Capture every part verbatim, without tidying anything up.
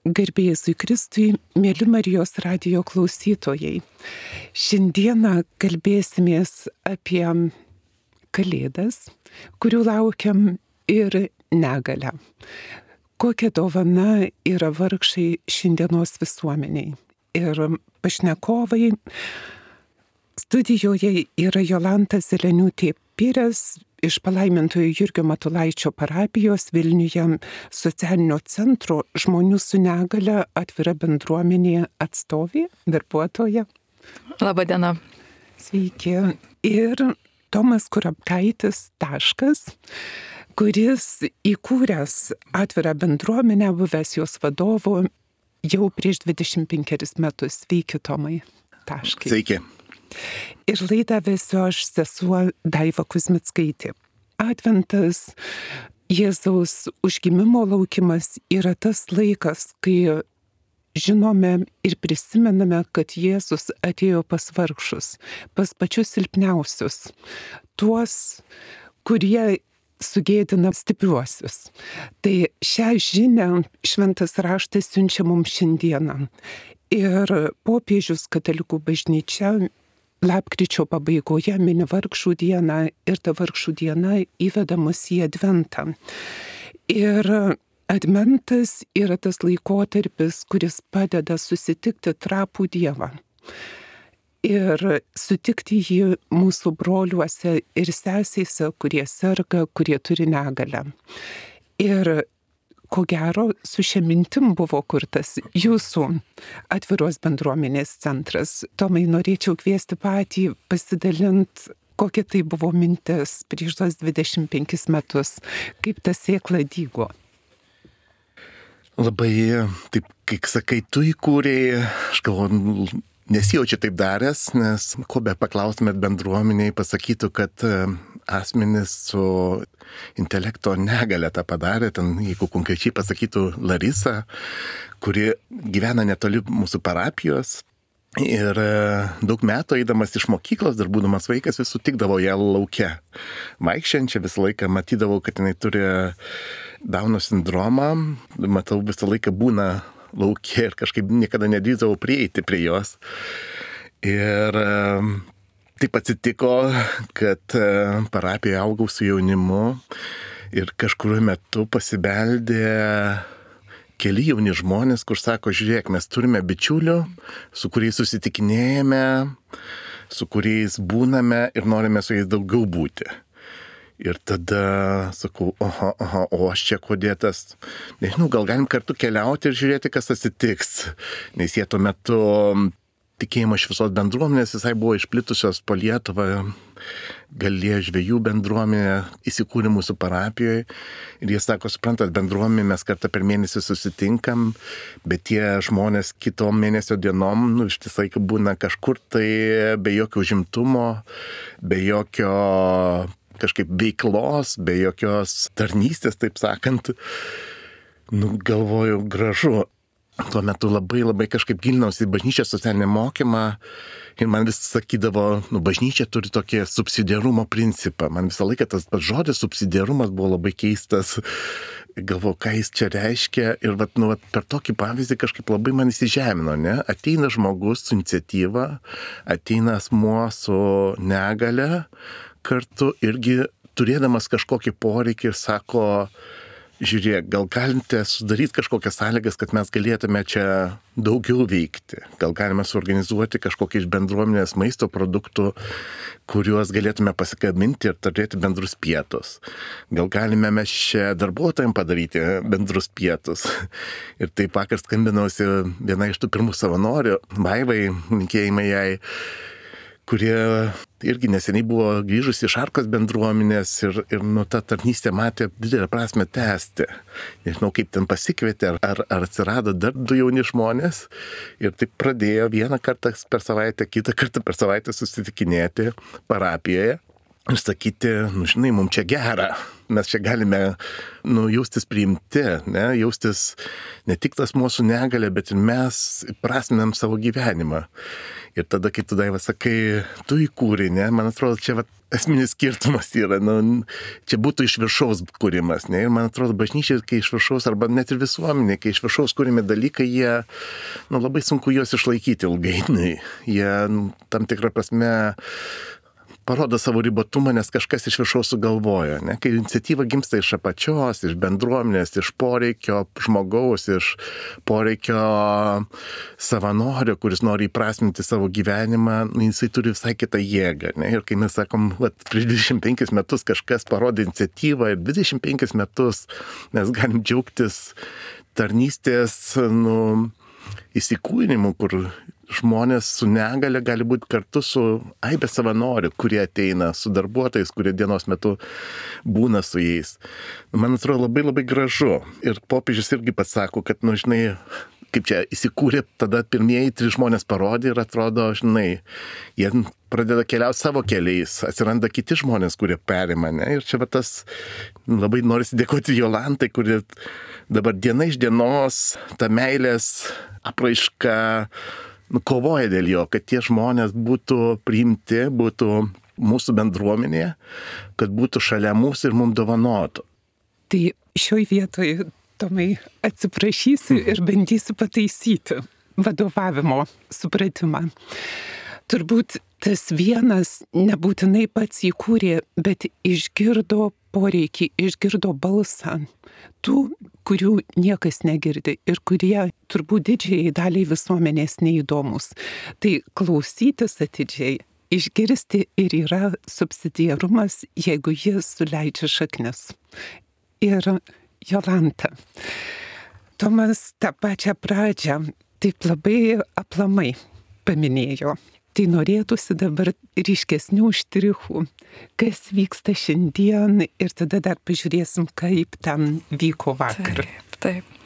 Garbė Jėzui Kristui, mėly Marijos radijo klausytojai. Šiandieną kalbėsimės apie Kalėdas, kurių laukiam, ir negalią. Kokia dovana yra vargšai šiandienos visuomeniai. Ir pašnekovai studijoje yra Jolanta Zeleniūtė-Pires iš Palaimintojo Jurgio Matulaičio parapijos Vilniuje socialinio centro žmonių su negale atvira bendruomenė atstovė, darbuotoja. Labadiena. Sveiki. Ir Tomas Kurapkaitis Taškas, kuris įkūręs atvirą bendruomenę, buvęs jos vadovu jau prieš dvidešimt penkerius metus. Sveiki, Tomai. Taškai. Sveiki. Ir laidą vesiu aš, sesuo Daiva Kuzmickaitė. Adventas, Jėzaus užgimimo laukimas yra tas laikas, kai žinome ir prisimename, kad Jėzus atėjo pas vargšus, pas pačius silpniausius, tuos, kurie sugėdina stipriuosius. Tai šią žinią šventas raštas siunčia mums šiandieną. Ir popiežius katalikų bažnyčia lapkričio pabaigoje mini vargšų dieną ir ta vargšų diena įveda mus į Adventą. Ir Adventas yra tas laikotarpis, kuris padeda susitikti trapų Dievą ir sutikti jį mūsų broliuose ir sesėse, kurie serga, kurie turi negalę. Ir ko gero, su šia mintim buvo kurtas jūsų atviros bendruomenės centras. Tomai, norėčiau kviesti patį pasidalinti, kokia tai buvo mintis prieš tos dvidešimt penkis metus, kaip ta sėkla dygo. Labai, taip, kaip sakai, tu įkūrėjai, aš galvoju, nesijaučiu taip daręs, nes ko be paklaustumėt bendruomeniai, pasakytų, kad asmenys su intelekto negale tą padarė, ten, jeigu konkrečiai pasakytų Larisa, kuri gyvena netoli mūsų parapijos. Ir daug metų eidamas iš mokyklos, dar būdamas vaikas, vis sutikdavo ją lauke. Vaikščiančią visą laiką matydavau, kad jinai turi Dauno sindromą. Matau, visą laiką būna lauke ir kažkaip niekada nedrįsdavau prieiti prie jos. Ir taip atsitiko, kad parapijoje augau su jaunimu ir kažkuriuo metu pasibeldė keli jauni žmonės, kur sako, žiūrėk, mes turime bičiulių, su kuriais susitikinėjame, su kuriais būname ir norime su jais daugiau būti. Ir tada sakau, oho, oho, o aš čia kodėtas, nežinau, gal galim kartu keliauti ir žiūrėti, kas atsitiks. Nes jie tuo metu tikėjimo šviesos bendruomenės visai buvo išplitusios po Lietuvą, Galėjo žvejų bendruomenė įsikūrė mūsų parapijoje. Ir jie sako, suprantat, bendruomenė mes kartą per mėnesį susitinkam, bet tie žmonės kitom mėnesio dienom, nu, iš tiesai būna kažkur tai be jokio užimtumo, be jokio kažkaip veiklos, be jokios tarnystės, taip sakant. Nu, galvoju, gražu. Tuo metu labai labai kažkaip gilinausi į bažnyčios socialinį mokymą ir man vis sakydavo, nu, bažnyčia turi tokį subsidiarumo principą. Man visą laiką tas žodis subsidiarumas buvo labai keistas. Galvoju, ką jis čia reiškia ir vat, nu, vat, per tokį pavyzdį kažkaip labai man įsižemino, ne? Ateina žmogus su iniciatyva, ateina asmuo su negale, kartu irgi turėdamas kažkokį poreikį ir sako, žiūrėk, gal galite sudaryti kažkokias sąlygas, kad mes galėtume čia daugiau veikti. Gal galime suorganizuoti kažkokį iš bendruomenės maisto produktų, kuriuos galėtume pasikabinti ir turėti bendrus pietus. Gal galime mes čia darbuotojams padaryti bendrus pietus. Ir taip vakar skambinausi viena iš tų pirmų savanorių, Vaivai, linkėjimai jai, kurie irgi neseniai buvo grįžusi iš Arkos bendruomenės ir, ir nu, ta tarnystė matė didelę prasme tęsti. Nežinau, kaip ten pasikvietė, ar, ar atsirado dar du jauni žmonės ir taip pradėjo vieną kartą per savaitę, kitą kartą per savaitę susitikinėti parapijoje. ir sakyti, nu žinai, mums čia gera, mes čia galime, nu, jaustis priimti, ne, jaustis ne tik tas mūsų negalė, bet ir mes prasminam savo gyvenimą. Ir tada, kai tu, Daiva, sakai, tu įkūrei, ne, man atrodo, čia va, esminis skirtumas yra, nu, čia būtų iš viršaus kūrimas, ne, ir man atrodo, bažnyčia, kai iš viršaus, arba net ir visuomenė, kai iš viršaus kūrimi dalykai, jie, nu, labai sunku juos išlaikyti ilgainiui, jie, nu, tam tikrą prasme, parodo savo ribotumą, nes kažkas iš viršaus sugalvoja. Ne? Kai iniciatyva gimsta iš apačios, iš bendruomenės, iš poreikio žmogaus, iš poreikio savanorio, kuris nori įprasminti savo gyvenimą, nu, jisai turi visai kitą jėgą. Ne? Ir kai mes sakom, vat, prieš dvidešimt penkis metus kažkas parodė iniciatyvą ir dvidešimt penkis metus mes galim džiaugtis tarnystės, nu, įsikūnimu, kur žmonės su negale gali būti kartu su aibė savanorių, kurie ateina, su darbuotojais, kurie dienos metu būna su jais. Man atrodo labai labai gražu. Ir popiežius irgi pats sako, kad, nu, žinai, kaip čia įsikūrė, tada pirmieji trys žmonės parodė ir atrodo, žinai, jie pradeda keliauti savo keliais, atsiranda kiti žmonės, kurie perima, ne? Ir čia va tas, labai norisi dėkoti Jolantai, kuri dabar diena iš dienos ta meilės apraiška, nu, kovoja dėl jo, kad tie žmonės būtų priimti, būtų mūsų bendruomenėje, kad būtų šalia mūsų ir mums dovanotų. Tai šioj vietoje, Tomai, atsiprašysiu ir bandysiu pataisyti vadovavimo supratimą. Turbūt tas vienas nebūtinai pats įkūrė, bet išgirdo poreikį, išgirdo balsą tų, kurių niekas negirdi ir kurie turbūt didžiai daliai visuomenės neįdomus. Tai klausytis atidžiai, išgirsti ir yra subsidiarumas, jeigu jis suleidžia šaknis. Ir Jolanta, Tomas tą pačią pradžią taip labai aplamai paminėjo. Tai norėtųsi dabar ryškesnių štrichų, kas vyksta šiandien ir tada dar pažiūrėsim, kaip ten vyko vakar. Taip, taip.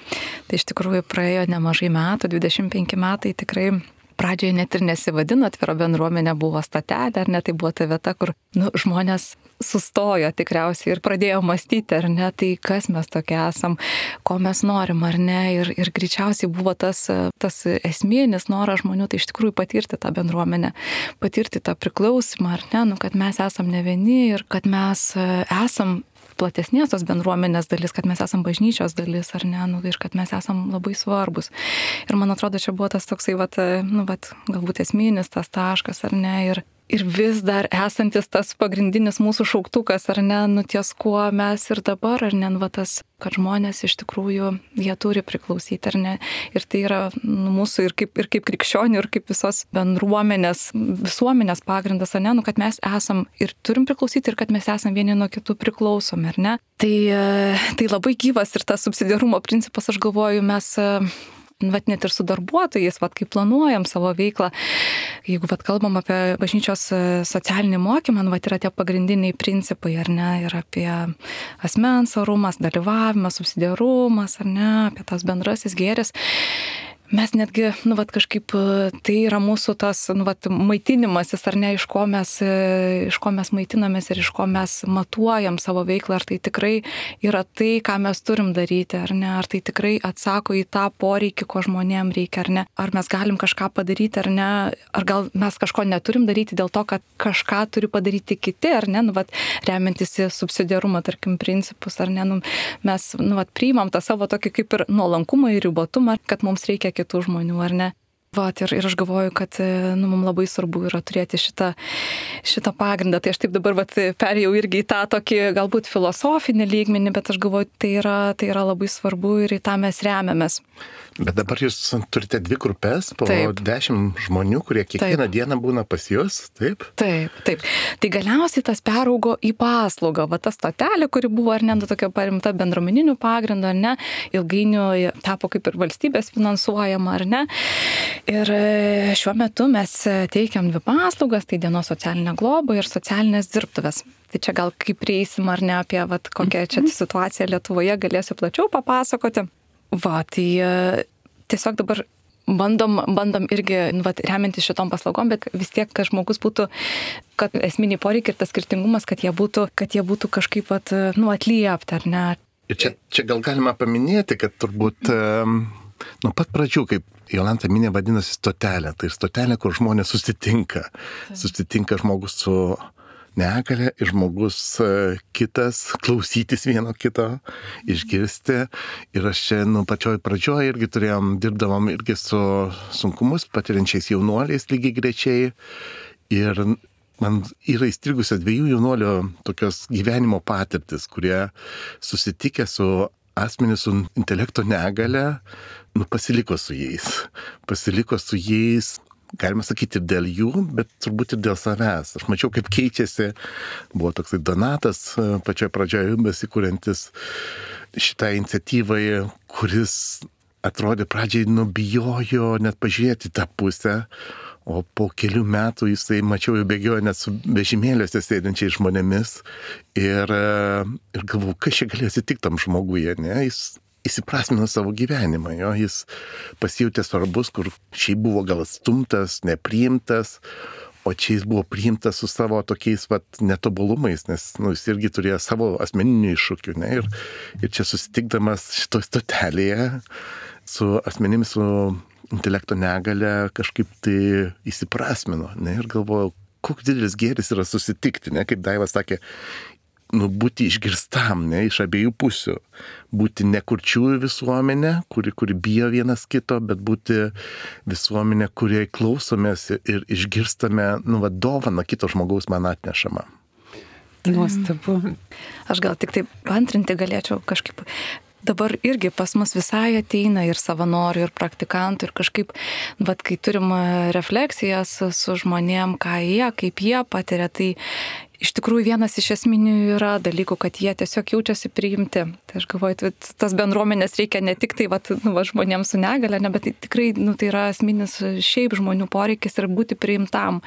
Tai iš tikrųjų praėjo nemažai metų, dvidešimt penki metai tikrai. Pradžioje net ir nesivadino atvira bendruomenė, buvo statelė, ar ne, tai buvo ta vieta, kur, nu, žmonės sustojo tikriausiai ir pradėjo mąstyti, ar ne, tai kas mes tokie esam, ko mes norim, ar ne, ir, ir greičiausiai buvo tas, tas esminis noras žmonių, tai iš tikrųjų patirti tą bendruomenę, patirti tą priklausimą, ar ne, nu, kad mes esam ne vieni ir kad mes esam platesnės tos bendruomenės dalis, kad mes esam bažnyčios dalis, ar ne, nu, ir kad mes esam labai svarbus. Ir man atrodo, čia buvo tas toksai, vat, nu, vat, galbūt esminis tas taškas, ar ne, ir, ir vis dar esantis tas pagrindinis mūsų šauktukas, ar ne, nu, ties kuo mes ir dabar, ar ne, nu, va, tas, kad žmonės iš tikrųjų, jie turi priklausyti, ar ne, ir tai yra, nu, mūsų ir kaip, ir kaip krikščionių, ir kaip visos bendruomenės, visuomenės pagrindas, ar ne, nu, kad mes esam ir turim priklausyti, ir kad mes esam vieni nuo kitų priklausomi, ar ne. Tai, tai labai gyvas ir tas subsidiarumo principas, aš galvoju, mes vat net ir su darbuotojais, vat kaip planuojam savo veiklą, jeigu vat kalbam apie bažnyčios socialinį mokymą, vat yra tie pagrindiniai principai, ar ne, ir apie asmens orumas, dalyvavimas, subsidiarumas, ar ne, apie tas bendrasis gėris. Mes netgi, nu, vat, kažkaip tai yra mūsų tas, nu, vat, maitinimasis, ar ne, iš ko mes, iš ko mes maitinamės ir iš ko mes matuojam savo veiklą, ar tai tikrai yra tai, ką mes turim daryti, ar ne, ar tai tikrai atsako į tą poreikį, ko žmonėm reikia, ar ne, ar mes galim kažką padaryti, ar ne, ar gal mes kažko neturim daryti dėl to, kad kažką turi padaryti kiti, ar ne, nu, vat, remiantis į subsidiarumą, tarkim, principus, ar ne, nu, mes, nu, vat, priimam tą savo tokį kaip ir nuolankumą ir ribotumą, kad mums reikia kitų žmonių, ar ne. Vat, ir, ir aš galvoju, kad, nu, mums labai svarbu yra turėti šitą, šitą pagrindą. Tai aš taip dabar vat, perėjau irgi į tą tokį galbūt filosofinį lygmenį, bet aš galvoju, tai yra, tai yra labai svarbu ir į tą mes remiamės. Bet dabar jūs turite dvi grupės, po taip. dešimt žmonių, kurie kiekvieną taip. dieną būna pas jūs, taip? Taip, taip. Tai galiausiai tas peraugo į paslaugą. Va ta stotelė, kuri buvo, ar ne, tokia parimta bendruomeninių pagrindų, ar ne, ilgainiui tapo kaip ir valstybės finansuojama, ar ne. Ir šiuo metu mes teikiam dvi paslaugas, tai dienos socialinė globa ir socialinės dirbtuvės. Tai čia gal kaip prieisim, ar ne, apie vat, kokią čia situaciją Lietuvoje galėsiu plačiau papasakoti. Va, tai tiesiog dabar bandom, bandom irgi, nu, vat, remiantis šitom paslaugom, bet vis tiek, kad žmogus būtų, kad esminiai poreikiai ir tas skirtingumas, kad jie būtų, kad jie būtų kažkaip vat, nu, atliepti, ar ne? Ir čia, čia gal galima paminėti, kad turbūt um, nuo pat pradžių, kaip Jolanta minė, vadinasi stotelė. Tai stotelė, kur žmonės susitinka. Susitinka žmogus su negalia ir žmogus kitas, klausytis vieno kito, išgirsti. Ir aš čia, nu, pačioj pradžioj irgi turėjom, dirbdavom irgi su sunkumus patiriančiais jaunuoliais lygiai grečiai. Ir man yra įstrigusios dviejų jaunuolių tokios gyvenimo patirtis, kurie susitikę su asmenys su intelekto negale, nu, pasiliko su jais. Pasiliko su jais, galima sakyti, ir dėl jų, bet turbūt ir dėl savęs. Aš mačiau, kaip keičiasi. Buvo toksai Donatas pačioje pradžioje besikūrentis šitai iniciatyvai, kuris atrodė pradžiai nubijojo net pažiūrėti tą pusę. O po kelių metų jisai, mačiau, jau bėgiojo net su vežimėliuose sėdinčiais žmonėmis ir, ir galvojau, kas čia galėjo atsitikti tam žmoguje, ne? Jis įsiprasmino savo gyvenimą, jo? Jis pasijautė svarbus, kur šiaip buvo gal atstumtas, nepriimtas, o čia jis buvo priimtas su savo tokiais vat, netobulumais, nes nu, jis irgi turėjo savo asmeninių iššūkių, ne? Ir, ir čia susitikdamas šitoj stotelėje su asmenimis, su intelekto negale kažkaip tai įsiprasmino, ne, ir galvojau, koks didelis gėris yra susitikti, ne, kaip Daiva sakė, nu, būti išgirstam, ne, iš abiejų pusių, būti ne kurčiųjų visuomenė, kuri, kuri bijo vienas kito, bet būti visuomenė, kuriai klausomės ir išgirstame, nu, va, dovaną kito žmogaus man atnešamą. Nuostabu. Aš gal tik taip antrinti galėčiau kažkaip. Dabar irgi pas mus visai ateina ir savanorių, ir praktikantų, ir kažkaip, bet kai turim refleksijas su žmonėm, ką jie, kaip jie patiria, tai iš tikrųjų vienas iš esminių yra dalykų, kad jie tiesiog jaučiasi priimti. Tai aš galvoju, tas bendruomenės reikia ne tik tai va, nu, va, žmonėms su negale, ne, bet tai tikrai nu, tai yra esminis šiaip žmonių poreikis ir būti priimtam.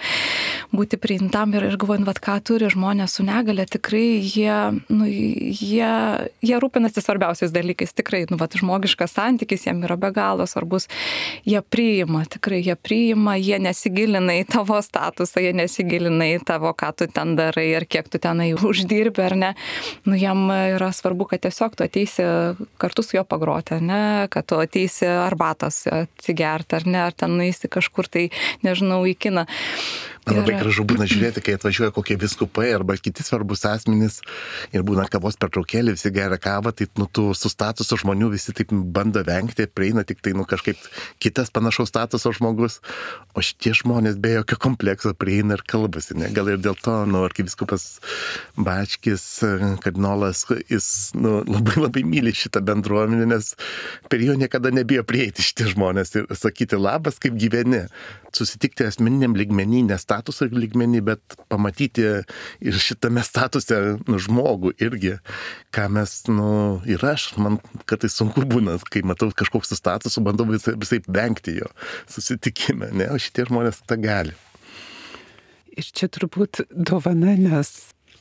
Būti priimtam ir, ir galvoju, va, ką turi žmonės su negale, tikrai jie, nu, jie, jie rūpinasi svarbiausiais dalykais. Tikrai, nu, va, žmogiškas santykis jiem yra be galo svarbus. Jie priima, tikrai jie priima, jie nesigilina į tavo statusą, jie nesigilina į tavo, ką tu ten darai. Ir kiek tu tenai uždirbi, ar ne, nu jam yra svarbu, kad tiesiog tu ateisi kartu su juo pagroti, ar ne, kad tu ateisi arbatos atsigerti, ar ne, ar ten nueisi kažkur tai, nežinau, į kiną. Man labai gražu būna žiūrėti, kai atvažiuoja kokie viskupai arba kiti svarbus asmenys ir būna kavos pertraukėlė, visi geria kavą, tai nu, tu su statuso žmonių visi taip bando vengti, prieina tik tai nu, kažkaip kitas panašaus statuso žmogus, o šitie žmonės be jokio komplekso prieina ir kalbasi. Ne? Gal ir dėl to, nu, arkivyskupas Bačkis, kardinolas, jis nu, labai labai myli šitą bendruomenę, nes per jo niekada nebijo prieiti šitie žmonės ir sakyti labas, kaip gyveni. Susitikti asmeniniam lygmenį, ne statuso lygmenį, bet pamatyti ir šitame statuse nu, žmogų irgi, ką mes, nu, ir aš, man kartais sunku būna, kai matau kažkoks su statusu, bandau visai, visai vengti jo susitikime, ne, o šitie žmonės tą gali. Ir čia turbūt dovana, nes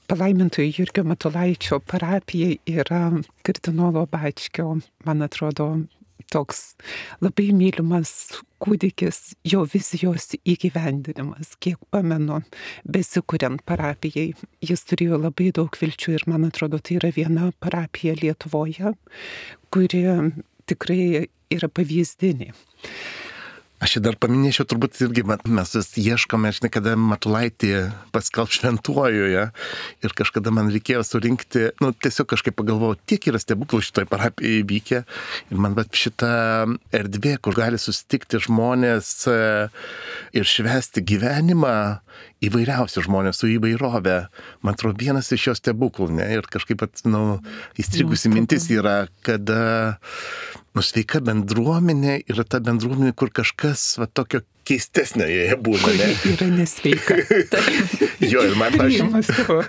palaimintojo Jurgio Matulaičio parapija yra kardinolo Bačkio, man atrodo, toks labai mylimas kūdikis, jo vizijos įgyvendinimas. Kiek pamenu, besikuriant parapijai, jis turėjo labai daug vilčių ir man atrodo, tai yra viena parapija Lietuvoje, kuri tikrai yra pavyzdinė. Aš čia dar paminėčiau, turbūt irgi mes vis ieškome, aš niekada Matulaitį paskelb šventuojoje ir kažkada man reikėjo surinkti, nu tiesiog kažkaip pagalvojau, tiek yra stebuklų šitoj parapijoje įvykę ir man bet šita erdvė, kur gali susitikti žmonės ir švęsti gyvenimą, įvairiausių žmonės su įvairovė, man atrodo, vienas iš jos stebuklų, ne, ir kažkaip, nu, įstrigusi mintis yra, kad nu, sveika bendruomenė yra ta bendruomenė, kur kažkas va, tokio keistesnė joje būna, ne? Kuri yra nesveika. Jo, ir man pažiūrėjau.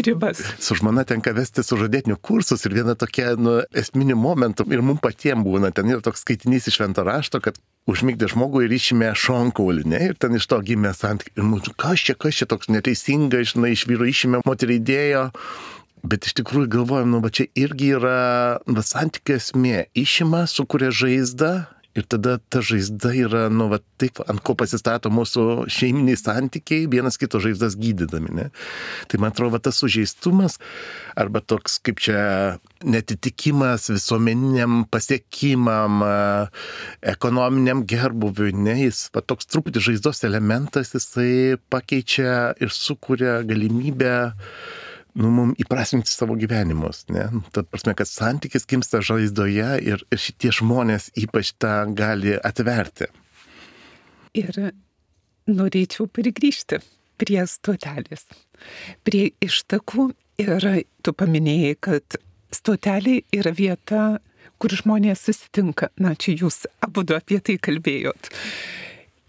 Ribas. Su žmona tenka vesti sužadėtinių kursus ir viena tokia nu, esminių momentų ir mums patiems būna, ten yra toks skaitinys iš švento rašto, kad užmigdė žmogų ir išėmė šonkaulį, ne, ir ten iš to gimė santykiai. Ir mūsų, kas čia, kas čia toks neteisinga, žinai, iš vyro išėmė, moterį įdėjo. Bet iš tikrųjų galvojam, nu, va čia irgi yra va, santykių esmė. Išima, sukuria žaizdą Ir tada ta žaizda yra, nu, va, taip, ant ko pasistato mūsų šeiminiai santykiai, vienas kito žaizdas gydydami, ne? Tai man atrodo, va, tas sužeistumas, arba toks, kaip čia, netitikimas visuomeniniam pasiekimam, ekonominiam gerbuviui, ne? Jis, va, toks truputį žaizdos elementas, jisai pakeičia ir sukuria galimybę nu, mums įprasminti savo gyvenimus, ne? Tad prasme, kad santykis gimsta žaizdoje ir, ir šitie žmonės ypač tą gali atverti. Ir norėčiau prigrįžti prie stotelės, prie ištakų. Ir tu paminėjai, kad stotelė yra vieta, kur žmonės susitinka. Na, čia jūs abudu apie tai kalbėjot.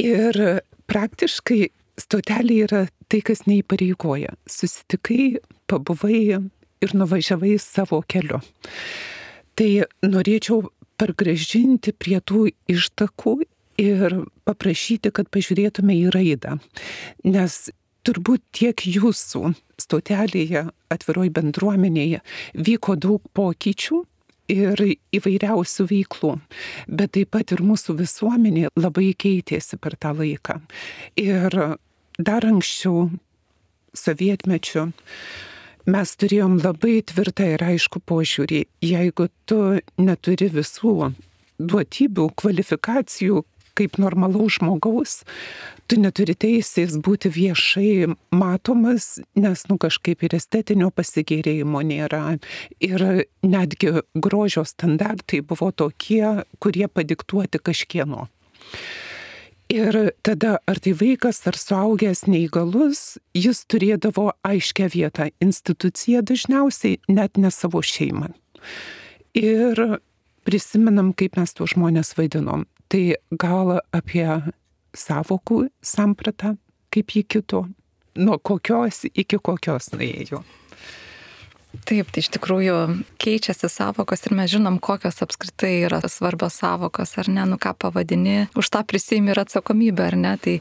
Ir praktiškai stotelė yra tai, kas neįpareigoja. Susitikai, pabuvai ir nuvažiavai savo keliu. Tai norėčiau pargrąžinti prie tų ištakų ir paprašyti, kad pažiūrėtume į raidą. Nes turbūt tiek jūsų stotelėje, atviroj bendruomenėje vyko daug pokyčių ir įvairiausių veiklų, bet taip pat ir mūsų visuomenė labai keitėsi per tą laiką. Ir dar anksčiau, sovietmečiu, mes turėjom labai tvirtą ir aišku požiūrį. Jeigu tu neturi visų duotybių, kvalifikacijų kaip normalaus žmogaus, tu neturi teisės būti viešai matomas, nes nu kažkaip ir estetinio pasigėrėjimo nėra. Ir netgi grožio standartai buvo tokie, kurie padiktuoti kažkieno. Ir tada ar tai vaikas, ar suaugęs neįgalus, jis turėdavo aiškę vietą, instituciją dažniausiai, net ne savo šeimą. Ir prisimenam, kaip mes tuos žmonės vadinom. Tai gal apie sąvokų sampratą, kaip jį kito, nuo kokios iki kokios nuėjo. Taip, tai iš tikrųjų keičiasi sąvokos ir mes žinom, kokios apskritai yra svarbios sąvokos, ar ne, nu ką pavadini, už tą prisiimi ir atsakomybę, ar ne, tai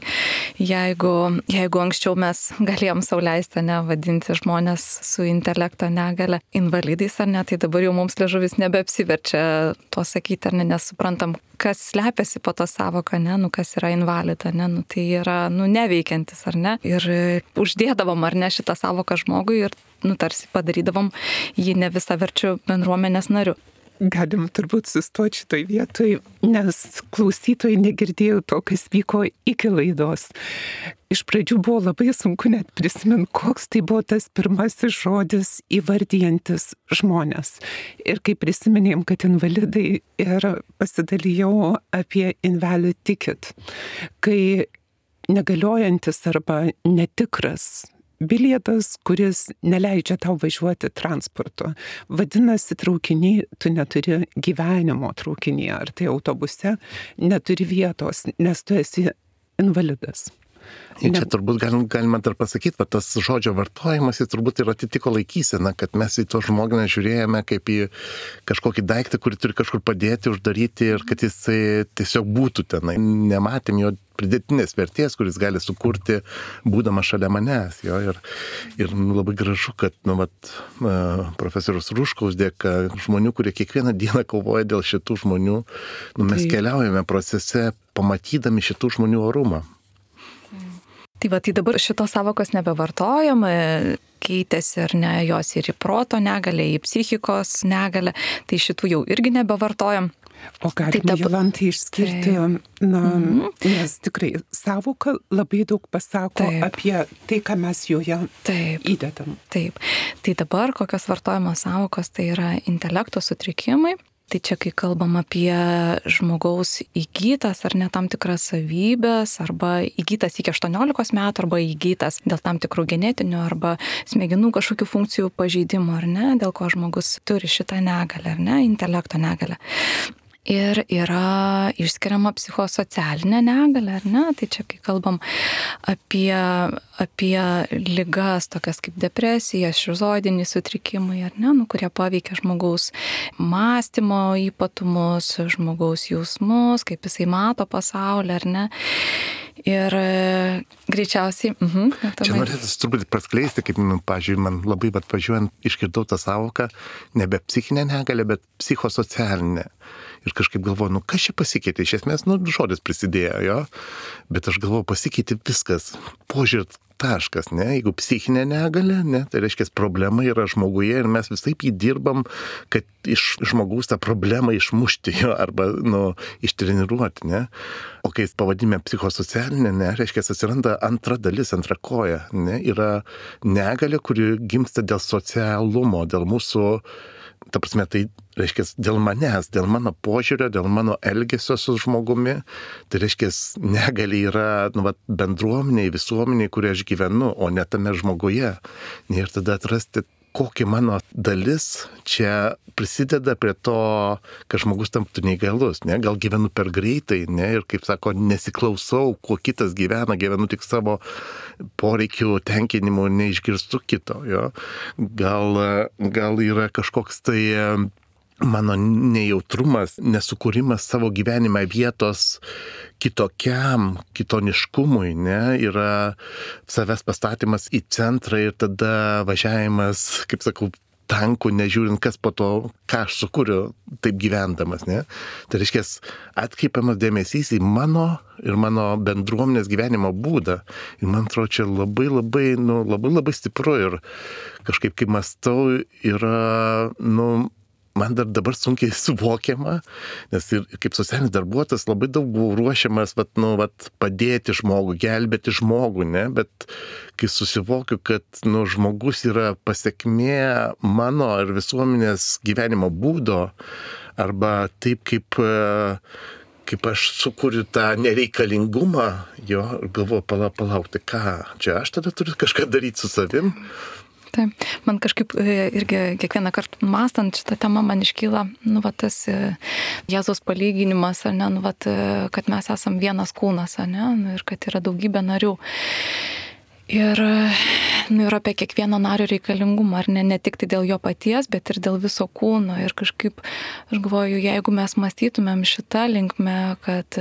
jeigu, jeigu anksčiau mes galėjom sau leisti, ne, vadinti žmonės su intelekto negale invalidais, ar ne, tai dabar jau mums liežuvis nebeapsiverčia to sakyti, ar ne, nesuprantam, kas slepiasi po tą sąvoką, ne, nu kas yra invalida, ne, nu tai yra, nu neveikiantis, ar ne, ir uždėdavom, ar ne, šitą sąvoką žmogui ir nu, tarsi padarydavom jį ne visaverčiu bendruomenės nariu. Galim turbūt sustoti šitoj vietoj, nes klausytojai negirdėjo to, kas vyko iki laidos. Iš pradžių buvo labai sunku net prisiminti, koks tai buvo tas pirmasis žodis įvardijantis žmonės. Ir kai prisiminėm, kad invalidai, ir pasidalijau apie invalid ticket, kai negaliojantis arba netikras bilietas, kuris neleidžia tau važiuoti transportu. Vadinasi, traukiny tu neturi gyvenimo traukinyje, ar tai autobuse, neturi vietos, nes tu esi invalidas. Ir čia turbūt galim, galima dar pasakyti, kad tas žodžio vartojimas, jis turbūt ir atitiko laikyseną, kad mes į to žmogų žiūrėjome kaip į kažkokį daiktą, kurį turi kažkur padėti, uždaryti ir kad jisai tiesiog būtų tenai. Nematėm jo pridėtinės vertės, kuris gali sukurti, būdamas šalia manęs. Jo, ir ir nu, labai gražu, kad nu, vat, profesorius Ruškaus dėka žmonių, kurie kiekvieną dieną kovoja dėl šitų žmonių, nu, mes tai keliaujame procese, pamatydami šitų žmonių orumą. Tai va, tai dabar šitos sąvokos nebevartojam, keitėsi ar ne jos ir į proto negalę, į psichikos negalę, tai šitų jau irgi nebevartojam. O galime tai dabar Jolantai išskirti, na, mm-hmm. nes tikrai sąvoka labai daug pasako Taip. Apie tai, ką mes joje Taip. Įdedam. Taip, tai dabar kokios vartojamos sąvokos, tai yra intelekto sutrikimai. Tai čia, kai kalbam apie žmogaus įgytas ar ne tam tikras savybės, arba įgytas iki aštuoniolikos metų, arba įgytas dėl tam tikrų genetinių arba smegenų kažkokių funkcijų pažeidimų, ar ne, dėl ko žmogus turi šitą negalę, ar ne, intelekto negalę. Ir yra išskiriama psichosocialinė negalė, ar ne? Tai čia, kai kalbam apie, apie ligas, tokias kaip depresija, šizoidiniai sutrikimai, ar ne? Nu, kurie paveikia žmogaus mąstymo ypatumus, žmogaus jausmus, kaip jisai mato pasaulį, ar ne? Ir greičiausiai... Uh-huh, čia norėtų truputį praskleisti, kaip, nu, pažiūrėjau, man labai atvažiuojant išgirdau tą sąvoką, nebe psichinė negalė, bet psichosocialinė. Ir kažkaip galvoju, nu kas čia pasikeitė, iš esmės, nu žodis prisidėjo, jo, bet aš galvoju, pasikeitė viskas, požiūrė taškas, ne, jeigu psichinė negalia, ne, tai reiškia, problema yra žmoguje ir mes visaip jį dirbam, kad iš žmogaus tą problemą išmušti jo arba, nu, ištreniruoti, ne. O kai pavadime psichosocialinė, ne, reiškia, atsiranda antra dalis, antra koja, ne, yra negalia, kuri gimsta dėl socialumo, dėl mūsų, ta prasme, tai reiškia, dėl manęs, dėl mano požiūrio, dėl mano elgesio su žmogumi, tai reiškia, negali yra, nu, va, bendruomeniai, visuomeniai, kurie aš gyvenu, o ne tame žmoguje. Ir tada atrasti, kokia mano dalis čia prisideda prie to, kad žmogus tamptų neįgalus, ne? Gal gyvenu per greitai, ne? Ir kaip sako, nesiklausau, kuo kitas gyvena, gyvenu tik savo poreikių tenkinimu, neišgirstu kito, jo. Gal, gal yra kažkoks tai mano nejautrumas, nesukūrimas savo gyvenime vietos kitokiam, kitoniškumui, ne, yra savęs pastatymas į centrą ir tada važiavimas, kaip sakau, tankų, nežiūrint, kas po to, ką aš sukūriu, taip gyvendamas, ne. Tai reiškia, atkreipiamas dėmesys į mano ir mano bendruomenės gyvenimo būdą. Ir man atrodo, čia labai labai, nu, labai labai stipru ir kažkaip, kai mąstau, yra, nu, man dar dabar sunkiai suvokiama, nes ir kaip socialinis darbuotojas labai daug buvau ruošiamas, vat, nu, vat, padėti žmogui, gelbėti žmogų, ne, bet kai susivokiu, kad, nu, žmogus yra pasiekmė mano ir visuomenės gyvenimo būdo, arba taip, kaip, kaip aš sukuriu tą nereikalingumą, jo, ir galvoju, palauk, palauk, tai ką, čia aš tada turiu kažką daryti su savim. Taip, man kažkaip irgi kiekvieną kartą mąstant šitą temą man iškyla, nu, va, tas Jėzaus palyginimas, ne, nu, va, kad mes esam vienas kūnas, ne, nu, ir kad yra daugybė narių. Ir, nu, ir apie kiekvieno nario reikalingumą, ar ne, ne tik tai dėl jo paties, bet ir dėl viso kūno. Ir kažkaip, aš galvoju, jeigu mes mąstytumėm šitą linkmę, kad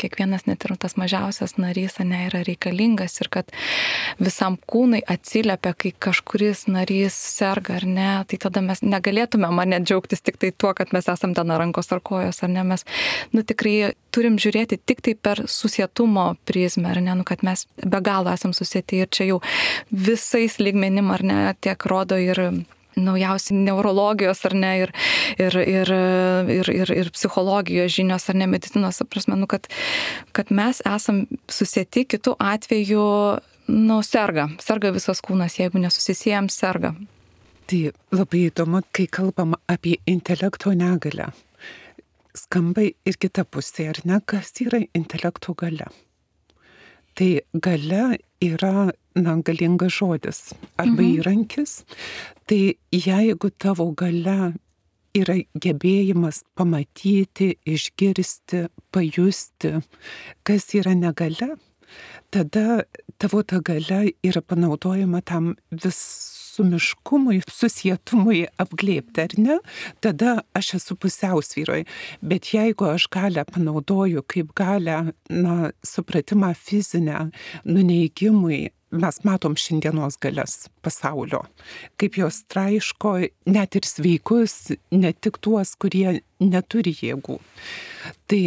kiekvienas net ir tas mažiausias narys, ne, yra reikalingas ir kad visam kūnui atsiliepia, kai kažkuris narys serga, ar ne, tai tada mes negalėtumėm, ar ne, džiaugtis tik tai tuo, kad mes esam ten rankos ar kojos, ar ne, mes, nu, tikrai turim žiūrėti tik tai per susietumo prizmę, ar ne, nu, kad mes be galo esam susieti. Ir čia jau visais lygmenim, ar ne, tiek rodo ir naujausi neurologijos, ar ne, ir, ir, ir, ir, ir, ir psichologijos žinios, ar ne, medicinos, prasme, nu, kad, kad mes esam susieti, kitų atveju, nu, serga, serga visas kūnas, jeigu nesusisiejam, serga. Tai labai įdomu, kai kalbam apie intelekto negalią. Skamba ir kita pusė, ar ne, kas yra intelekto galia? Tai galia yra, na, galingas žodis arba mhm. įrankis. Tai jeigu tavo galia yra gebėjimas pamatyti, išgirsti, pajusti, kas yra negalia, tada tavo ta galia yra panaudojama tam visumiškumui, susietumui apglėbti, ar ne? Tada aš esu pusiausvyroj. Bet jeigu aš galią panaudoju kaip galią, na, supratimą fizinę, nuneigimui, mes matom šiandienos galias pasaulio, kaip jos traiško net ir sveikus, ne tik tuos, kurie neturi jėgų. Tai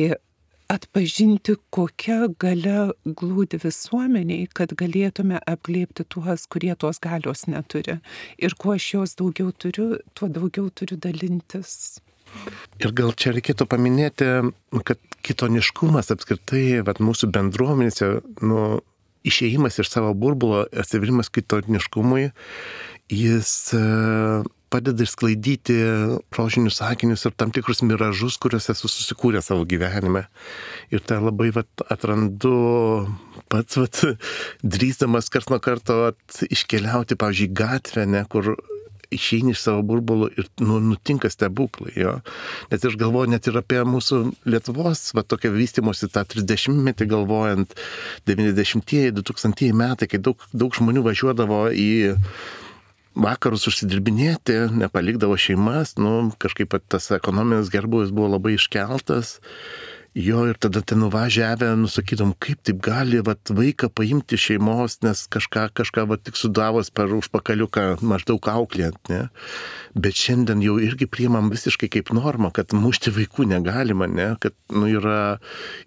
atpažinti, kokia galia glūdi visuomeniai, kad galėtume apglėbti tuos, kurie tos galios neturi. Ir kuo aš jos daugiau turiu, tuo daugiau turiu dalintis. Ir gal čia reikėtų paminėti, kad kitoniškumas apskritai, vat, mūsų bendruomenėse, nu, išėjimas iš savo burbulo, atsiverimas kitoniškumui, jis padeda išsklaidyti rožinius sakinius ir tam tikrus miražus, kuriuos esu susikūręs savo gyvenime. Ir tai labai, vat, atrandu pats, vat, drįsdamas karts nuo karto, vat, iškeliauti, pavyzdžiui, gatvę, ne, kur išeini iš savo burbulų ir, nu, nutinka stebuklai, jo. Nes aš galvoju net ir apie mūsų Lietuvos, va, tokia vystymosi tą trisdešimtmetį galvojant, devyniasdešimtieji, du tūkstantieji metai, kai daug, daug žmonių važiuodavo į vakarus užsidirbinėti, nepalikdavo šeimas, nu, kažkaip tas ekonominis gerbūvis buvo labai iškeltas Jo, ir tada ten nuvažiavę, nusakydom, kaip taip gali vat, vaiką paimti šeimos, nes kažką, kažką vat, tik sudavos per užpakaliuką maždaug auklėjant, ne? Bet šiandien jau irgi priimam visiškai kaip normą, kad mušti vaikų negalima, ne? Kad nu, yra,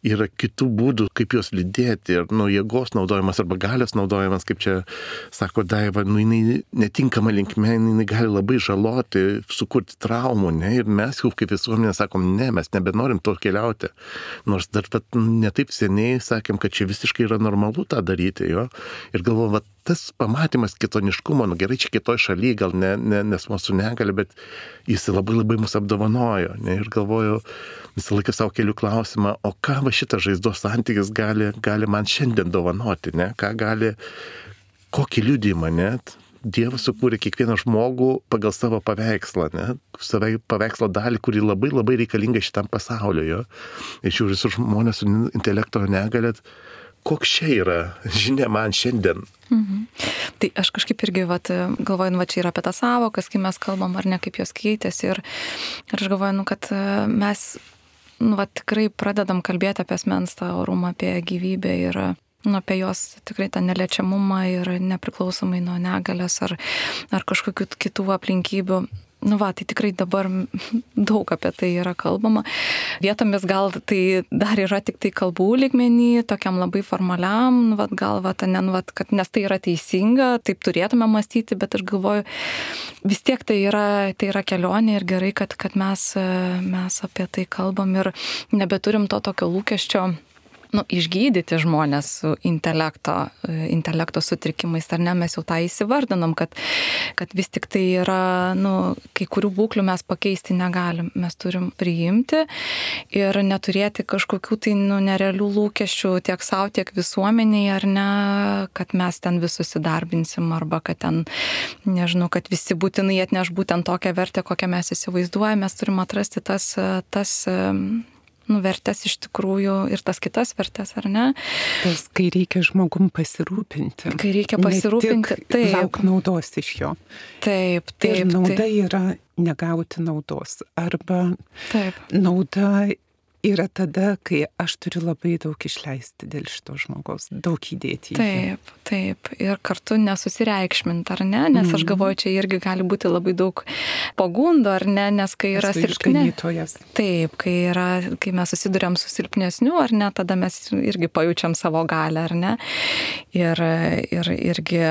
yra kitų būdų, kaip juos lydėti, ir nu, jėgos naudojimas arba galios naudojimas, kaip čia sako Daiva, nu, jinai netinkama linkme, jinai gali labai žaloti, sukurti traumų, ne? Ir mes jau kaip visuomenė sakom, ne, mes nebenorim to keliauti. Nors dar pat netaip seniai sakėm, kad čia visiškai yra normalu tą daryti, jo. Ir galvoju, va, tas pamatymas kitoniškumo, nu gerai, čia kitoj šalyje, gal ne, ne, nes mūsų negali, bet jis labai labai mus apdovanojo, ne. Ir galvoju, visą laiką savo keliu klausimą, o ką va šitas žaizdos santykis gali, gali man šiandien dovanoti, ne. Ką gali, kokį liudijimą, net. Dievas sukūrė kiekvieną žmogų pagal savo paveikslą, ne? Savo paveikslo dalį, kuri labai labai reikalinga šitam pasauliu, jo. Ir žiūrėjau visus žmonės su intelekto negalėt, koks čia yra žinia man šiandien. Mhm. Tai aš kažkaip irgi vat, galvoju, nu, va, čia yra apie tą savokas, kai mes kalbam, ar ne, kaip jos keitėsi. Ir, ir aš galvoju, nu, kad mes nu, va, tikrai pradedam kalbėti apie asmens tą orumą, apie gyvybę ir nu, apie jos tikrai tą neliečiamumą ir nepriklausomai nuo negalės ar, ar kažkokių kitų aplinkybių. Nu va, tai tikrai dabar daug apie tai yra kalbama. Vietomis gal tai dar yra tik tai kalbų lygmenį, tokiam labai formaliam, nu, va, gal va, ne, nu, va, kad, nes tai yra teisinga, taip turėtume mąstyti, bet aš galvoju, vis tiek tai yra, tai yra kelionė ir gerai, kad, kad mes, mes apie tai kalbam ir nebeturim to tokio lūkesčio, nu, išgydyti žmonės su intelekto, intelekto sutrikimais, ar ne, mes jau tą įsivardinom, kad, kad vis tik tai yra, nu, kai kurių būklių mes pakeisti negalim, mes turim priimti ir neturėti kažkokių tai, nu, nerealių lūkesčių tiek savo, tiek visuomeniai, ar ne, kad mes ten visus įdarbinsim, arba kad ten, nežinau, kad visi būtinai atneš būtent tokią vertę, kokią mes įsivaizduojame, mes turim atrasti tas, tas nu, vertės iš tikrųjų ir tas kitas vertės, ar ne? Tas, kai reikia žmogum pasirūpinti. Kai reikia pasirūpinti, taip. Lauk naudos iš jo. Taip, taip. Ir nauda taip. yra negauti naudos. Arba taip. Nauda yra tada, kai aš turiu labai daug išleisti dėl šito žmogaus, daug įdėti. Taip, taip. Ir kartu nesusireikšminti, ar ne? Nes aš galvoju, čia irgi gali būti labai daug pagundo, ar ne? Nes kai yra silpne. Taip, kai, yra, kai mes susiduriam su silpnesniu, ar ne, tada mes irgi pajaučiam savo galę, ar ne? Ir, ir irgi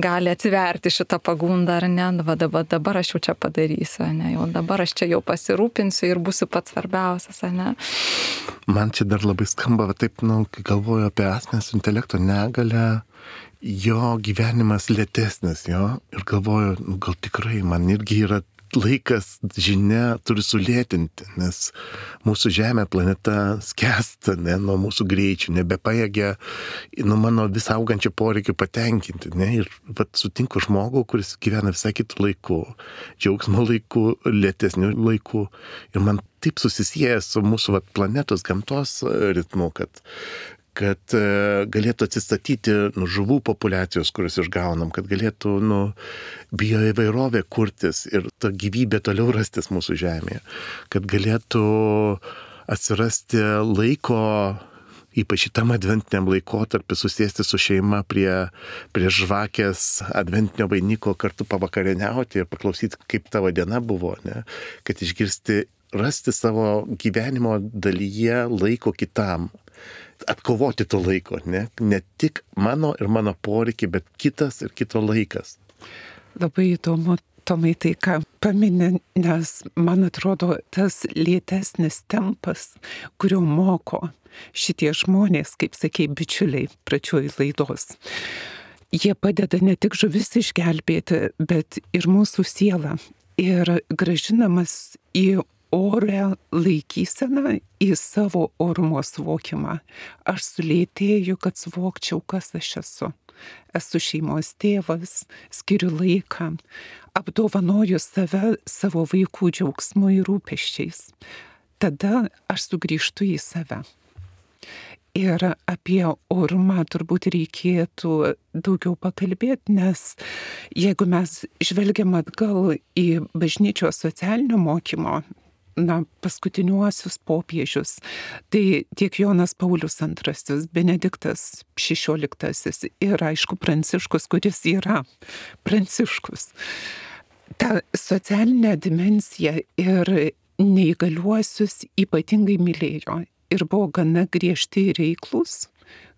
gali atsiverti šitą pagundą, ar ne? Va, dabar, dabar aš jau čia padarysiu, ne? Jau dabar aš čia jau pasirūpinsiu ir būsiu pats svarbiausias, ar ne? Man čia dar labai skamba, va, taip, nu, kai galvoju apie asmens intelekto negalę, jo gyvenimas lėtesnis, jo, ir galvoju, nu, gal tikrai man irgi yra laikas, žinia, turi sulėtinti, nes mūsų Žemė, planeta skęsta, ne, nuo mūsų greičių, nebepajėgia, nu, mano vis augančių poreikių patenkinti, ne, ir vat, sutinku žmogų, kuris gyvena visai kitų laikų, džiaugsmo laikų, lėtesnių laikų, ir man taip susisieja su mūsų vat, planetos, gamtos ritmu, kad kad galėtų atsistatyti nu, žuvų populiacijos, kurias išgaunam, kad galėtų nu, bioįvairovė kurtis ir ta gyvybė toliau rastis mūsų Žemėje, kad galėtų atsirasti laiko, ypač šitam adventiniam laikotarpiu, susėsti su šeima prie, prie žvakės adventinio vainiko, kartu pavakarieniauti ir paklausyti, kaip tavo diena buvo, ne? Kad išgirsti, rasti savo gyvenimo dalyje laiko kitam. Atkovoti to laiko, ne? Ne tik mano ir mano poreikiai, bet kitas ir kito laikas. Labai įdomu, Tomai, tai ką paminė, nes man atrodo tas lėtesnis tempas, kurio moko šitie žmonės, kaip sakei, bičiuliai pradžioj laidos. Jie padeda ne tik žuvis išgelbėti, bet ir mūsų sielą. Ir grąžinamas į orę laikyseną, į savo orumo suvokimą. Aš sulėtėju, kad suvokčiau, kas aš esu. Esu šeimos tėvas, skiriu laiką, apdovanoju save savo vaikų džiaugsmu ir rūpesčiais. Tada aš sugrįžtu į save. Ir apie orumą turbūt reikėtų daugiau pakalbėti, nes jeigu mes žvelgiam atgal į bažnyčios socialinio mokymo na, paskutiniuosius popiežius. Tai tiek Jonas Paulius antrasis, Benediktas šešioliktasis ir aišku Pranciškus, kuris yra Pranciškus. Ta socialinė dimensija ir neįgaliuosius ypatingai mylėjo ir buvo gana griežti ir reiklus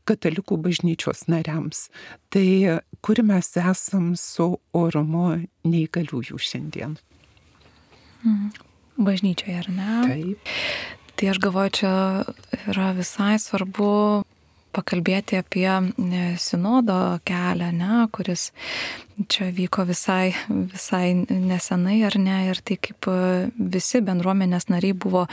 katalikų bažnyčios nariams. Tai kur mes esam su orumu neįgaliųjų šiandien? Bažnyčioje, ar ne? Taip. Tai aš galvoju, čia yra visai svarbu pakalbėti apie sinodo kelią, ne, kuris čia vyko visai, visai nesenai, ar ne, ir tai kaip visi bendruomenės nariai buvo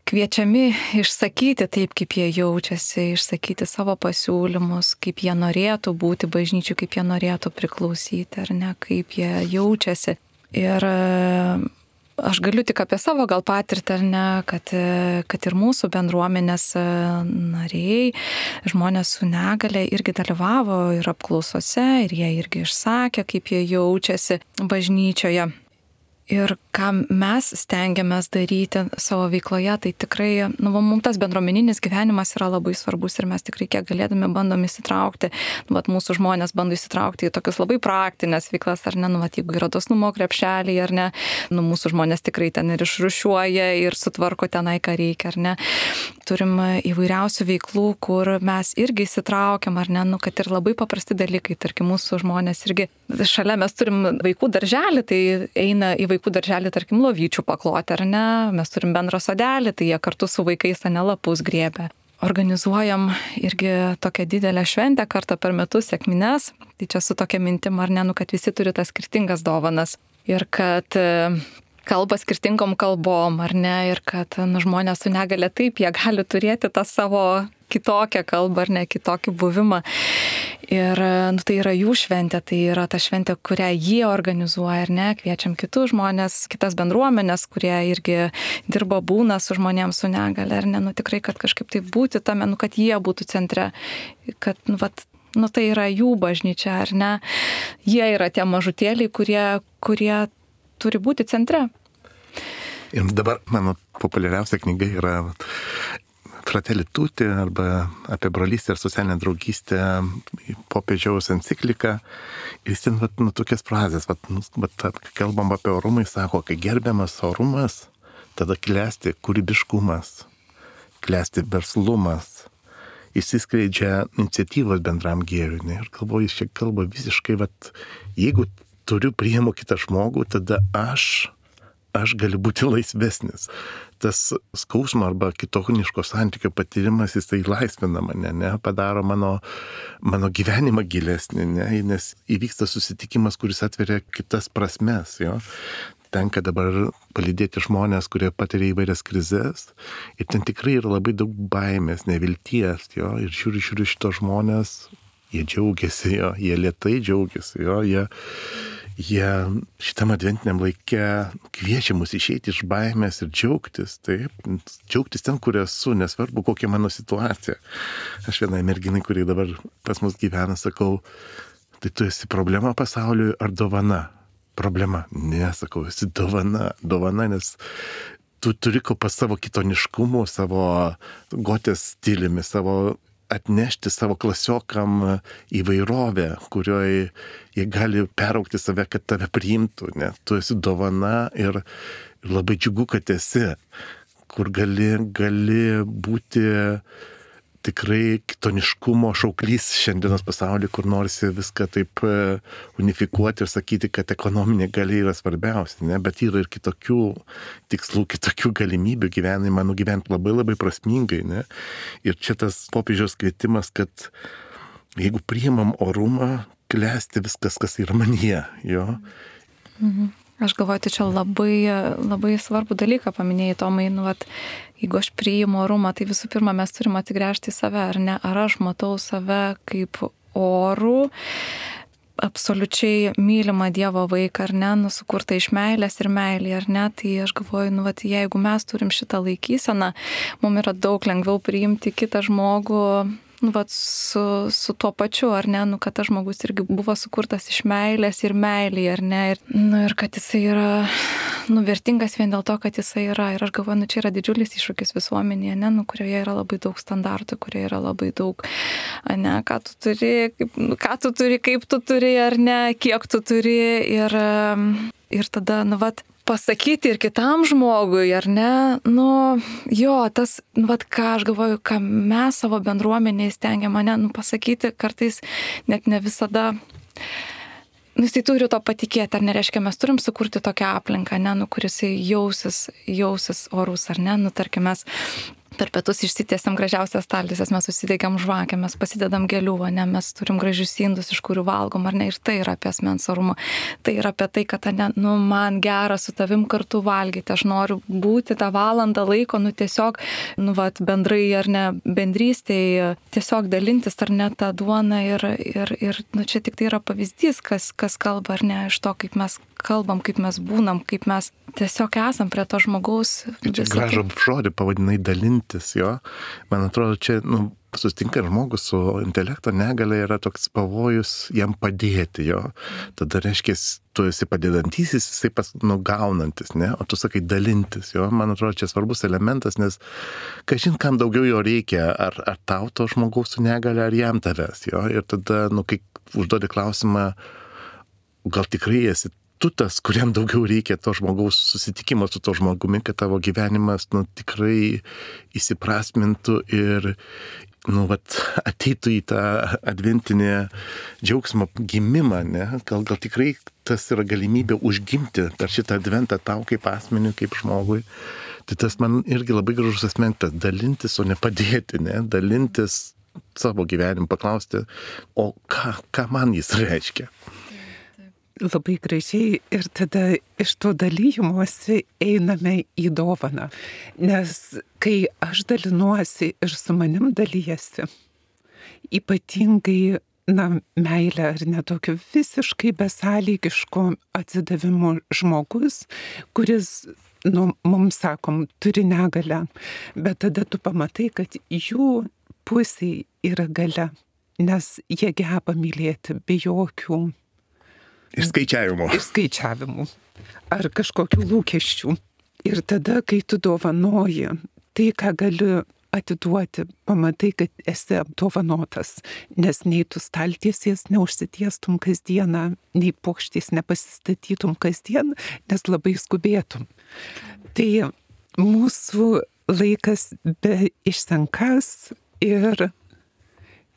kviečiami išsakyti taip, kaip jie jaučiasi, išsakyti savo pasiūlymus, kaip jie norėtų būti bažnyčių, kaip jie norėtų priklausyti, ar ne, kaip jie jaučiasi. Ir aš galiu tik apie savo gal patirtį, ar ne, kad, kad ir mūsų bendruomenės nariai, žmonės su negale irgi dalyvavo ir apklausose, ir jie irgi išsakė, kaip jie jaučiasi bažnyčioje. Ir ką mes stengiamės daryti savo veikloje, tai tikrai, nu, mums tas bendruomeninis gyvenimas yra labai svarbus ir mes tikrai kiek galėdami bandom įsitraukti, nu, vat, mūsų žmonės bando įsitraukti į tokius labai praktinės veiklas, ar ne, nu, vat, jeigu yra dosnumo krepšeliai, ar ne, nu, mūsų žmonės tikrai ten ir išrušiuoja ir sutvarko tenai, ką reikia, ar ne. Turim įvairiausių veiklų, kur mes irgi įsitraukiam, ar ne, nu, kad ir labai paprasti dalykai, tarkim, mūsų žmonės irgi, šalia mes turim vaikų darželį, tai eina į vaikų vaikų darželį, tarkim, lovyčių pakloti, ar ne? Mes turim bendrą sodelį, tai jie kartu su vaikais ane lapus griebia. Organizuojam irgi tokią didelę šventę kartą per metus, sekmines. Tai čia su tokia mintim, ar ne, nu, kad visi turi tas skirtingas dovanas. Ir kad kalba skirtingom kalbom, ar ne? Ir kad nu, žmonės su negale taip, jie gali turėti tą savo kitokią kalbą, ar ne, kitokį buvimą. Ir nu, tai yra jų šventė, tai yra ta šventė, kurią jie organizuoja, ar ne, kviečiam kitus žmonės, kitas bendruomenės, kurie irgi dirba, būna su žmonėms su negale, ar ne, nu tikrai, kad kažkaip tai būti tame, nu, kad jie būtų centre, kad, nu, vat, nu, tai yra jų bažnyčia, ar ne, jie yra tie mažutėliai, kurie, kurie turi būti centre. Ir dabar mano populiariausia knyga yra Fratelli Tutti arba apie brolystę ir socialinę draugystę, popiežiaus enciklika. Ir jis ten, vat, nu, tokias frazės, vat, nu, vat, kalbam apie orumą, jis sako, kai gerbiamas orumas, tada klesti kūrybiškumas, klesti verslumas, išsiskleidžia iniciatyvos bendram gėriui. Ne? Ir galvoju, jis čia kalba visiškai, vat, jeigu turiu priimu kitą žmogų, tada aš, aš galiu būti laisvesnis. Tas skausmo arba kitoniško santykio patyrimas, jis tai laisvina mane, ne, padaro mano, mano gyvenimą gilesnį, ne, nes įvyksta susitikimas, kuris atveria kitas prasmes, jo. Tenka dabar palydėti žmonės, kurie patiria įvairias krizes ir ten tikrai yra labai daug baimės, nevilties, jo, ir žiūri, žiūri šito žmonės, jie džiaugiasi, jo, jie lėtai džiaugiasi, jo, jie Jie šitam adventiniam laike kviečia mus išeiti iš baimės ir džiaugtis, taip, džiaugtis ten, kur esu, nesvarbu, kokia mano situacija. Aš vienai merginai, kurie dabar pas mus gyvena, sakau, tai tu esi problema pasauliui ar dovana? Problema. Ne, sakau, esi dovana, dovana, nes tu turi ko pas savo kitoniškumu, savo gotės stiliumi, savo atnešti savo klasiokam įvairovę, kurioje jie gali peraukti save, kad tave priimtų. Ne? Tu esi dovana ir, ir labai džiugu, kad esi, kur gali, gali būti tikrai kitoniškumo šauklys šiandienos pasaulyje, kur norisi viską taip unifikuoti ir sakyti, kad ekonominė galia yra svarbiausia, ne? Bet yra ir kitokių tikslų, kitokių galimybių gyvenimą nugyventi labai labai prasmingai. Ne? Ir čia tas popiežiaus kvietimas, kad jeigu priimam orumą, klesti viskas, kas yra manyje. Jo? Mhm. Aš galvoju, tai čia labai, labai svarbų dalyką paminėjai, Tomai, nu, vat, jeigu aš priimu orumą, tai visų pirma mes turim atsigręžti į save, ar ne? Ar aš matau save kaip orų, absoliučiai mylimą Dievo vaiką, ar ne, nu, sukurtą iš meilės ir meilį, ar ne? Tai aš galvoju, nu, vat, jeigu mes turim šitą laikyseną, mums yra daug lengviau priimti kitą žmogų nu, vat, su, su tuo pačiu, ar ne, nu, kad tas žmogus irgi buvo sukurtas iš meilės ir meilėje, ar ne, ir, nu, ir kad jisai yra, nu, vertingas vien dėl to, kad jisai yra. Ir aš galvoju, nu, čia yra didžiulis iššūkis visuomenėje, ne, nu, kurioje yra labai daug standartų, kurioje yra labai daug, ne, ką tu turi, kaip, nu, ką tu turi, kaip tu turi, ar ne, kiek tu turi, ir, ir tada, nu, vat, pasakyti ir kitam žmogui, ar ne, nu, jo, tas, nu, vat, ką aš galvoju, ką mes savo bendruomenėje stengiam, mane, nu, pasakyti kartais net ne visada, nu, jisai turi to patikėti, ar nereiškia, mes turim sukurti tokią aplinką, ne, nu, kuris jausis, jausis orus, ar ne, nu, tarkim, mes per pietus išsitiesiam gražiausias staltiesės, mes susidėgiam žvakę, mes pasidedam gėlių, ne, mes turim gražius indus, iš kurių valgom, ar ne, ir tai yra apie asmens orumą. Tai yra apie tai, kad, ne, nu, man gera su tavim kartu valgyti, aš noriu būti tą valandą laiko, nu, tiesiog, nu, vat, bendrai, ar ne, bendrystėje, tiesiog dalintis, ar ne, tą duoną ir, ir, ir, nu, čia tik tai yra pavyzdys, kas, kas kalba, ar ne, iš to, kaip mes kalbam, kaip mes būnam, kaip mes tiesiog esam prie to žmogaus. Čia gražų žodį pavadinai dalintis, jo. Man atrodo, čia, nu, susitinka žmogus su intelekto negalia, yra toks pavojus jam padėti, jo. Tada reiškia, tu esi padedantysis, jisai pas, nu, gaunantis, ne? O tu sakai dalintis, jo. Man atrodo, čia svarbus elementas, nes kažin kam daugiau jo reikia, ar, ar tau to žmogaus su negalia, ar jam tavęs, jo. Ir tada, nu, kai užduodi klausimą, gal tikrai esi tu tas, kuriam daugiau reikia to žmogaus susitikimo su to žmogumi, kad tavo gyvenimas, nu, tikrai įsiprasmintų ir, nu, vat, ateitų į tą adventinį džiaugsmo gimimą, ne? Gal, gal tikrai tas yra galimybė užgimti per šitą adventą tau kaip asmeniui, kaip žmogui. Tai tas man irgi labai gražus asmentas, dalintis, o ne padėti, ne? Dalintis savo gyvenimu, paklausti, o ką, ką man jis reiškia. Labai gražiai, ir tada iš to dalymosi einame į dovaną. Nes kai aš dalinuosi ir su manim dalyjasi, ypatingai, na, meilė ar netokio visiškai besąlygiško atsidavimo žmogus, kuris, nu, mums sakom, turi negalią, bet tada tu pamatai, kad jų pusėje yra galia, nes jie geba mylėti be jokių Išskaičiavimų. Išskaičiavimų. Ar kažkokių lūkesčių. Ir tada, kai tu dovanoji, tai, ką galiu atiduoti, pamatai, kad esi apdovanotas, nes nei tu staltiesies neužsitiestum kasdieną, nei puokštės nepasistatytum kasdien, nes labai skubėtum. Tai mūsų laikas be išsenkas ir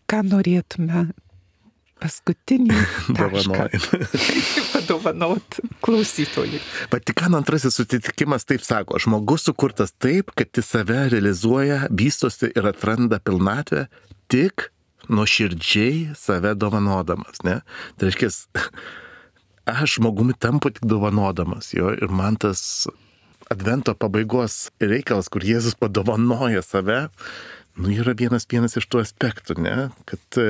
ką norėtume paskutinį tašką padovanot klausytojui. Vatikano antrasis susitikimas taip sako, žmogus sukurtas taip, kad jis save realizuoja, vystosi ir atranda pilnatvę tik nuoširdžiai save dovanodamas, ne? Tai reiškia, aš žmogumi tampu tik dovanodamas, jo, ir man tas advento pabaigos reikalas, kur Jėzus padovanoja save, nu, yra vienas vienas iš tų aspektų, ne? Kad e,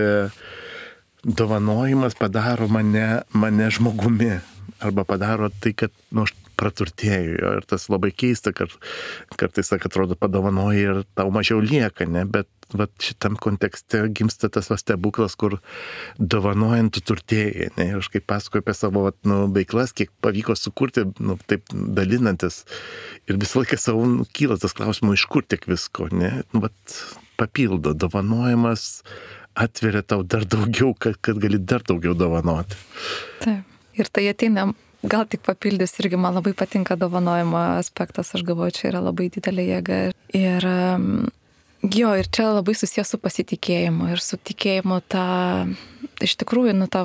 dovanojimas padaro mane, mane žmogumi, arba padaro tai, kad, nu, aš praturtėju. Ir tas labai keista, kad kartais, atrodo, padovanoji ir tau mažiau lieka, ne? Bet vat, šitam kontekste gimsta tas va stebuklas, kur dovanojant tu turtėjai, ne? Ir aš kaip pasakoju apie savo vat, nu, veiklas, kiek pavyko sukurti, nu, taip dalinantis. Ir visą laiką savo nu, kyla tas klausimas, iš kur tiek visko, ne? Nu, vat, papildo, dovanojimas atveria tau dar daugiau, kad, kad gali dar daugiau dovanoti. Taip. Ir tai ateina, gal tik papildys, irgi man labai patinka dovanojimo aspektas, aš galvoju, čia yra labai didelė jėga. Ir jo, ir čia labai susijęs su pasitikėjimu ir su tikėjimu tą, iš tikrųjų, nu tą,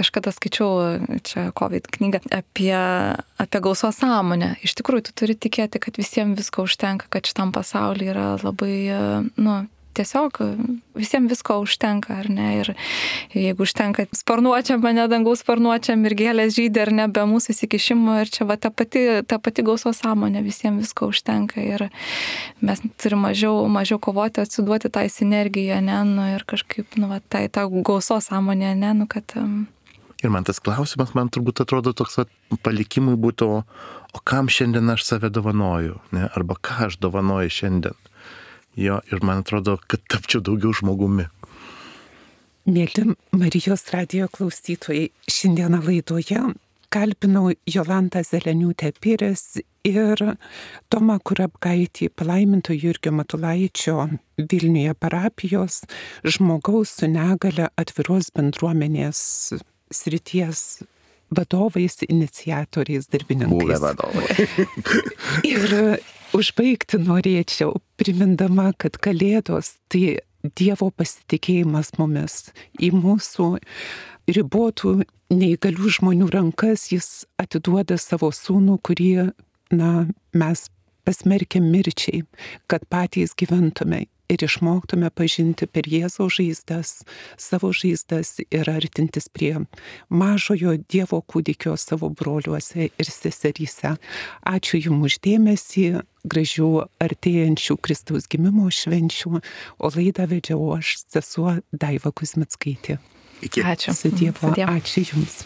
kažkada skaičiau čia COVID knygą apie, apie gausos sąmonę. Iš tikrųjų, tu turi tikėti, kad visiems visko užtenka, kad šitam pasaulyje yra labai, nu, tiesiog visiems visko užtenka, ar ne? Ir jeigu užtenka sparnuočiam, mane dangaus sparnuočiam ir gėlės žydė, ar ne, be mūsų įsikišimo, ir čia va ta pati, ta pati gausos sąmonė, visiems visko užtenka ir mes turime mažiau, mažiau kovoti, atsiduoti tą sinergiją, ne, nu, ir kažkaip, nu, va, tai ta gausos sąmonė, ne, nu, kad... Um... Ir man tas klausimas, man turbūt atrodo toks va, palikimui būtų, o kam šiandien aš save dovanoju, ne, arba ką aš dovanoju šiandien. Jo, ir man atrodo, kad tapčiau daugiau žmogumi. Mėly Marijos radijo klausytojai, šiandieną laidoje kalbinau Jolantą Zeleniūtę Pires ir Tomą Kurapkaitį, palaiminto Jurgio Matulaičio Vilniuje parapijos žmogaus su negale atviros bendruomenės srities vadovais, iniciatoriais, darbininkais. Buvę vadovai. Ir užbaigti norėčiau, primindama, kad Kalėdos tai Dievo pasitikėjimas mumis, į mūsų ribotų neįgalių žmonių rankas jis atiduoda savo sūnų, kurį, na, mes pasmerkėm mirčiai, kad patys gyventume ir išmoktume pažinti per Jėzaus žaizdas, savo žaizdas ir artintis prie mažojo Dievo kūdikio savo broliuose ir seseryse. Ačiū Jums už dėmesį, gražių artėjančių Kristaus gimimo švenčių, o laidą vedžiau aš, sesuo Daiva Kuzmickaitė. Iki. Ačiū. Su Dievu. Su Dievu. Ačiū Jums.